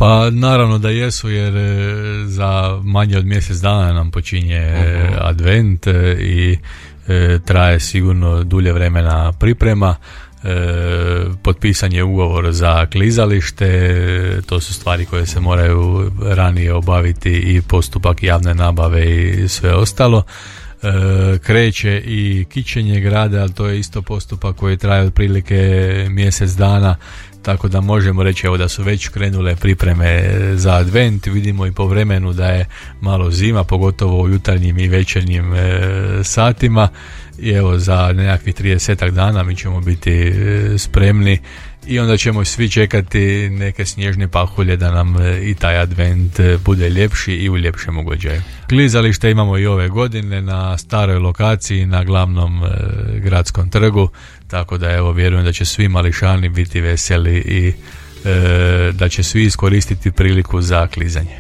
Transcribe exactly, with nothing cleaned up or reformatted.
Pa naravno da jesu, jer za manje od mjesec dana nam počinje uh-huh. advent i e, traje sigurno dulje vremena priprema. E, potpisan je ugovor za klizalište, to su stvari koje se moraju ranije obaviti i postupak javne nabave i sve ostalo. E, kreće i kićenje grada, ali to je isto postupak koji traje otprilike mjesec dana, tako da možemo reći evo da su već krenule pripreme za advent. Vidimo i po vremenu da je malo zima, pogotovo u jutarnjim i večernjim e, satima, i evo za nekakvih tridesetak dana mi ćemo biti e, spremni i onda ćemo svi čekati neke snježne pahulje da nam i taj advent bude ljepši i u ljepšem ugođaju. Klizalište imamo i ove godine na staroj lokaciji na glavnom e, gradskom trgu, tako da evo vjerujem da će svi mališani biti veseli i e, da će svi iskoristiti priliku za klizanje.